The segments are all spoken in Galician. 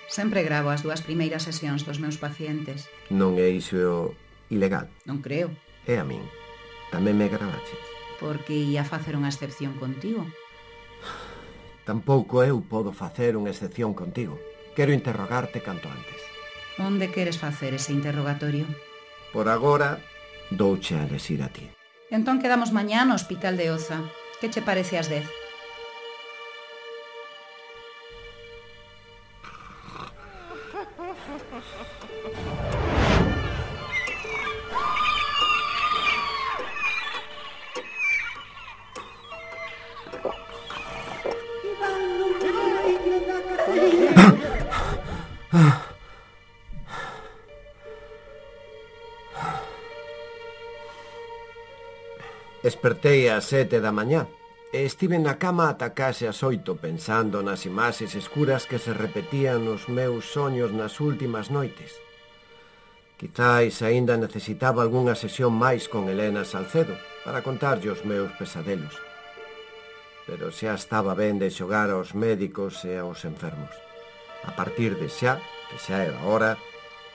Sempre gravo as 2 primeiras sesións dos meus pacientes. Non é iso ilegal? Non creo. E a min? Tamén me gravaches? Porque ia facer unha excepción contigo. Tampouco eu podo facer unha excepción contigo. Quero interrogarte canto antes. Onde queres facer ese interrogatorio? Por agora, douche a elexir a ti. Entón quedamos mañá no Hospital de Oza. Que che parece ás 10? Despertei ás 7 da mañá e estive na cama ata case ás 8 pensando nas imaxes escuras que se repetían nos meus soños nas últimas noites. Quizáis aínda necesitaba algunha sesión máis con Elena Salcedo para contarlle os meus pesadelos. Pero xa estaba ben de xogar aos médicos e aos enfermos. A partir de xa, que xa era hora,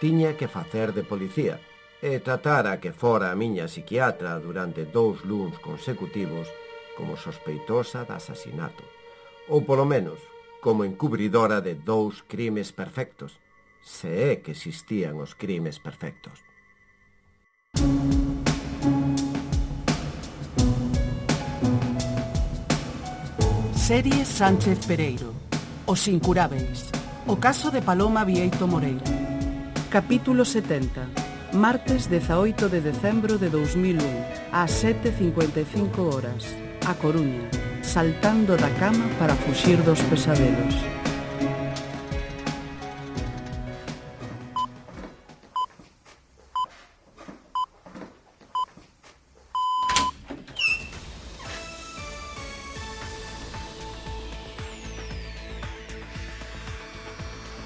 tiña que facer de policía e tratar a que fora a miña psiquiatra durante 2 luns consecutivos como sospeitosa de asasinato, ou polo menos como encubridora de 2 crimes perfectos, se é que existían os crimes perfectos. Serie Sánchez Pereiro. Os incurábeis. O caso de Paloma Vieito Moreira. Capítulo 70. Martes 18 de decembro de 2001, ás 7:55 horas, A Coruña, saltando da cama para fuxir dos pesadelos.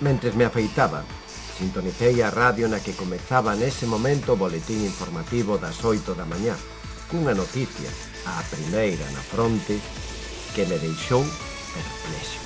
Mentres me afeitaba, sintonicei a radio na que comezaba nese momento o boletín informativo das 8 da mañá, cunha noticia, a primeira na fronte, que me deixou perplexo.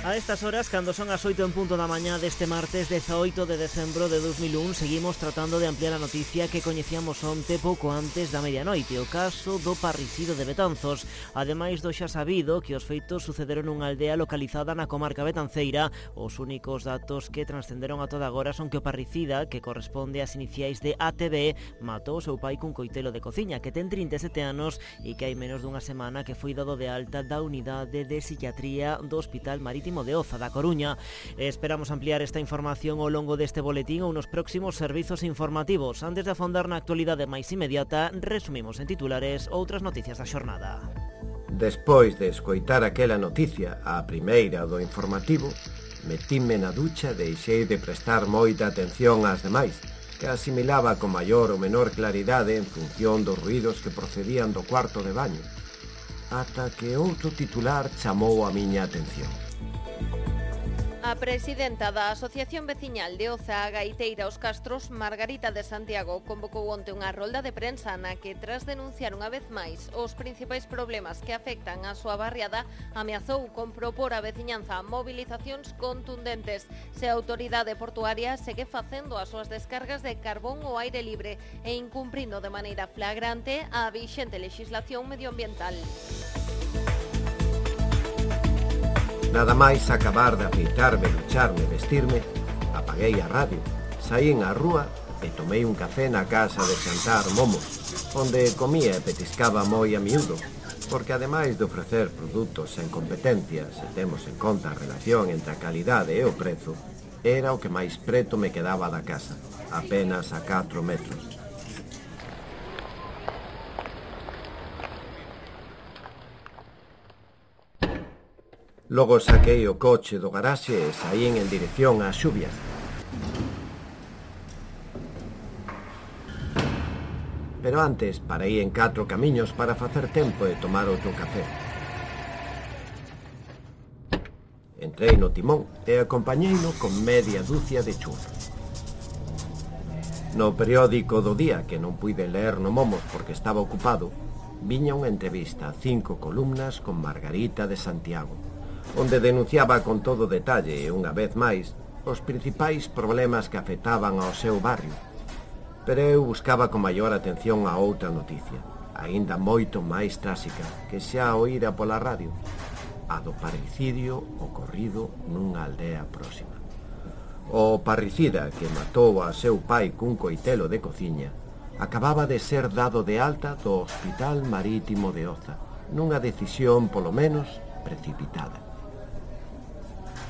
A estas horas, cando son as 8 en punto da mañá deste martes 18 de decembro de 2001, seguimos tratando de ampliar a noticia que coñecíamos onte pouco antes da medianoite, o caso do parricido de Betanzos. Ademais do xa sabido que os feitos sucederon nunha aldea localizada na comarca betanceira, os únicos datos que transcenderon a toda agora son que o parricida, que corresponde ás iniciais de ATB, matou o seu pai cun coitelo de cociña, que ten 37 anos e que hai menos dunha semana que foi dado de alta da unidade de psiquiatría do Hospital Marítimo de Oza da Coruña. Esperamos ampliar esta información ao longo deste boletín ou nos próximos servizos informativos. Antes de afondar na actualidade máis inmediata, resumimos en titulares outras noticias da xornada. Despois de escoitar aquela noticia, a primeira do informativo, metíme na ducha e deixei de prestar moita atención ás demais, que asimilaba con maior ou menor claridade en función dos ruídos que procedían do cuarto de baño, ata que outro titular chamou a miña atención. A presidenta da Asociación Veciñal de Oza, a Gaiteira Os Castros, Margarita de Santiago, convocou onte unha rolda de prensa na que, tras denunciar unha vez máis os principais problemas que afectan a súa barriada, ameazou con propor a veciñanza movilizacións contundentes se a autoridade portuaria segue facendo as súas descargas de carbón ao aire libre e incumprindo de maneira flagrante a vixente legislación medioambiental. Nada máis acabar de afeitarme, ducharme, vestirme, apaguei a radio, saín á rúa e tomei un café na casa de xantar Momo, onde comía e petiscaba moi a miúdo, porque ademais de ofrecer produtos sen competencia, se temos en conta a relación entre a calidade e o prezo, era o que máis preto me quedaba da casa, apenas a 4 metros. Logo saquei o coche do garaxe e saín en dirección ás xubias. Pero antes parei en 4 camiños para facer tempo e tomar outro café. Entrei no timón e acompañeino con media dúcia de churros. No periódico do día, que non puiden ler no Momos porque estaba ocupado, viña unha entrevista a 5 columnas con Margarita de Santiago, onde denunciaba con todo detalle, unha vez máis, os principais problemas que afectaban ao seu barrio. Pero eu buscaba con maior atención a outra noticia, aínda moito máis tráxica, que xa oíra pola radio, a do parricidio ocorrido nunha aldea próxima. O parricida que matou a seu pai cun coitelo de cociña acababa de ser dado de alta do Hospital Marítimo de Oza, nunha decisión, polo menos, precipitada.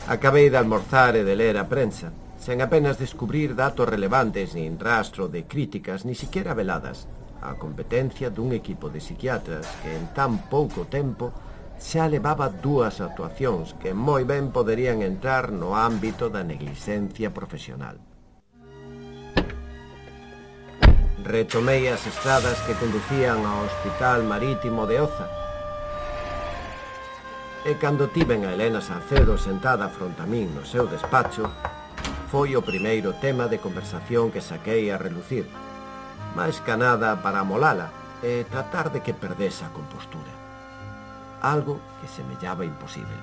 Acabei de almorzar e de ler a prensa, sen apenas descubrir datos relevantes nin rastro de críticas, ni siquiera veladas, a competencia dun equipo de psiquiatras que en tan pouco tempo xa levaba 2 actuacións que moi ben poderían entrar no ámbito da negligencia profesional. Retomei as estradas que conducían ao Hospital Marítimo de Oza, e cando tiven a Elena Salcedo sentada fronte a min no seu despacho, foi o primeiro tema de conversación que saquei a relucir, máis ca nada para amolala e tratar de que perdese a compostura. Algo que semellaba imposible.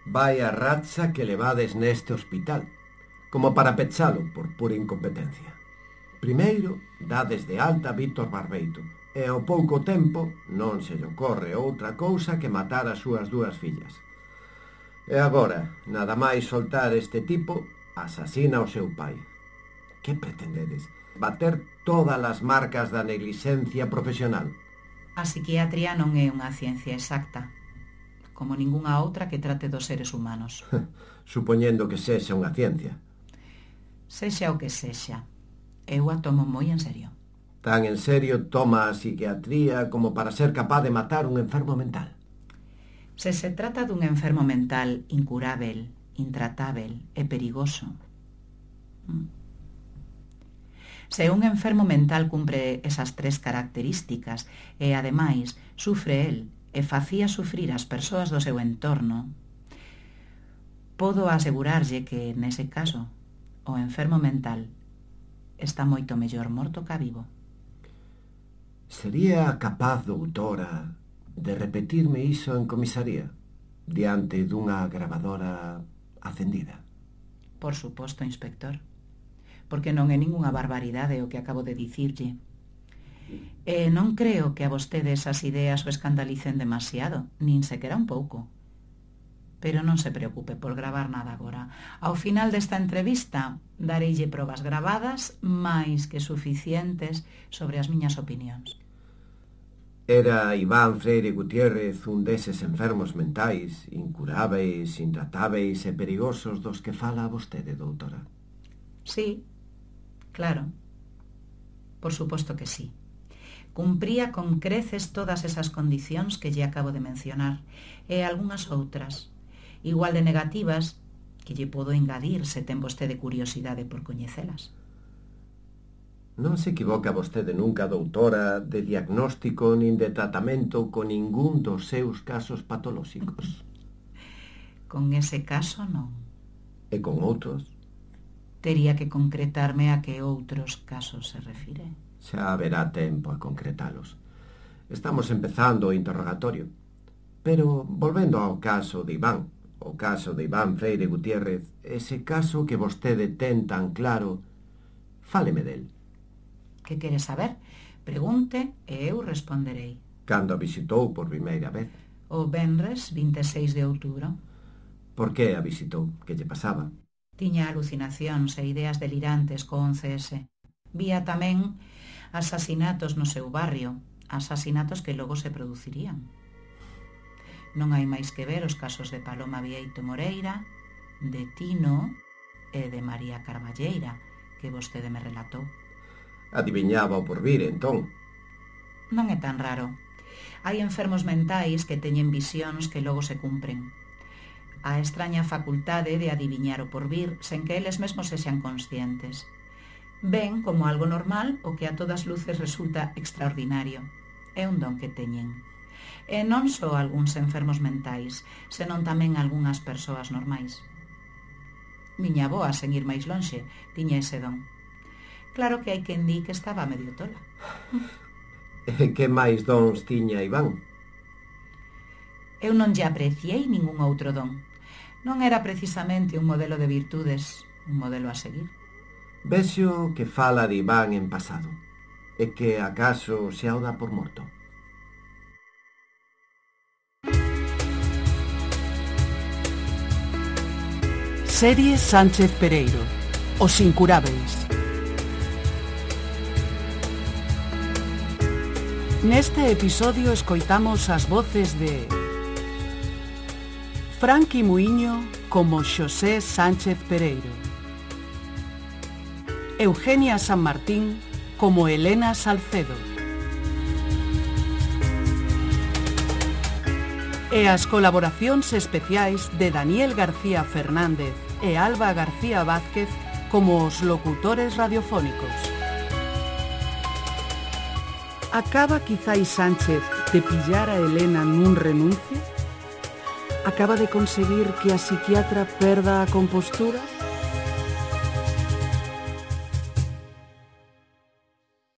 Vai a racha que levades neste hospital, como para pechalo por pura incompetencia. Primeiro, dades de alta a Víctor Barbeito, e ao pouco tempo non se lle ocorre outra cousa que matar as súas 2 fillas. E agora, nada máis soltar este tipo, asasina o seu pai. Que pretendedes? Bater todas as marcas da negligencia profesional? A psiquiatría non é unha ciencia exacta, como ningunha outra que trate dos seres humanos. Supoñendo que sexa unha ciencia. Sexa o que sexa, eu a tomo moi en serio. Tan en serio toma a psiquiatría como para ser capaz de matar un enfermo mental? Se se trata dun enfermo mental incurável, intratável e perigoso. Se un enfermo mental cumpre esas 3 características e, ademais, sufre el e facía sufrir as persoas do seu entorno, podo asegurarlle que, nese caso, o enfermo mental está moito mellor morto ca vivo. Sería capaz, doutora, de repetirme iso en comisaría, diante dunha grabadora acendida? Por suposto, inspector, porque non é ningunha barbaridade o que acabo de dicirlle. E non creo que a vostede esas ideas o escandalicen demasiado, nin sequera un pouco. Pero non se preocupe por gravar nada agora. Ao final desta entrevista, dareille probas gravadas máis que suficientes sobre as miñas opinións. Era Iván Freire Gutiérrez un deses enfermos mentais, incuráveis, intratáveis e perigosos dos que fala vostede, doutora? Sí, claro. Por suposto que sí. Cumpría con creces todas esas condicións que lle acabo de mencionar e algunhas outras, igual de negativas, que lle podo engadir se ten vostede curiosidade por coñecelas. Non se equivoca vostede nunca, doutora, de diagnóstico nin de tratamento con ningún dos seus casos patolóxicos? Con ese caso, non. E con outros? Tería que concretarme a que outros casos se refire. Xa haberá tempo a concretalos. Estamos empezando o interrogatorio. Pero, volvendo ao caso de Iván, o caso de Iván Freire Gutiérrez, ese caso que vostede ten tan claro, fáleme del. Que quere saber? Pregunte e eu responderei. Cando a visitou por primeira vez? O venres 26 de outubro. Por que a visitou? Que lle pasaba? Tiña alucinacións e ideas delirantes co 11S. Vía tamén asasinatos no seu barrio, asasinatos que logo se producirían. Non hai máis que ver os casos de Paloma Bieito Moreira, de Tino e de María Carballeira, que vostede me relatou. Adiviñaba o porvir, entón? Non é tan raro. Hai enfermos mentais que teñen visións que logo se cumpren. A extraña facultade de adiviñar o porvir sen que eles mesmos sexan conscientes. Ven como algo normal o que a todas luces resulta extraordinario. É un don que teñen. E non só algúns enfermos mentais, senón tamén algunhas persoas normais. Miña avoa, sen ir máis lonxe, tiña ese don. Claro que hai quen di que estaba medio tola. E que máis dons tiña Iván? Eu non lle apreciei ningún outro don. Non era precisamente un modelo de virtudes, un modelo a seguir. Vexo que fala de Iván en pasado, e que acaso se o dá por morto. Serie Sánchez Pereiro, Os Incurábeis. Neste episodio escoitamos as voces de Franqui Muiño como Xosé Sánchez Pereiro, Eugenia San Martín como Elena Salcedo e as colaboracións especiais de Daniel García Fernández e Alba García Vázquez como os locutores radiofónicos. Acaba quizais Sánchez de pillar a Elena nun renuncio? Acaba de conseguir que a psiquiatra perda a compostura?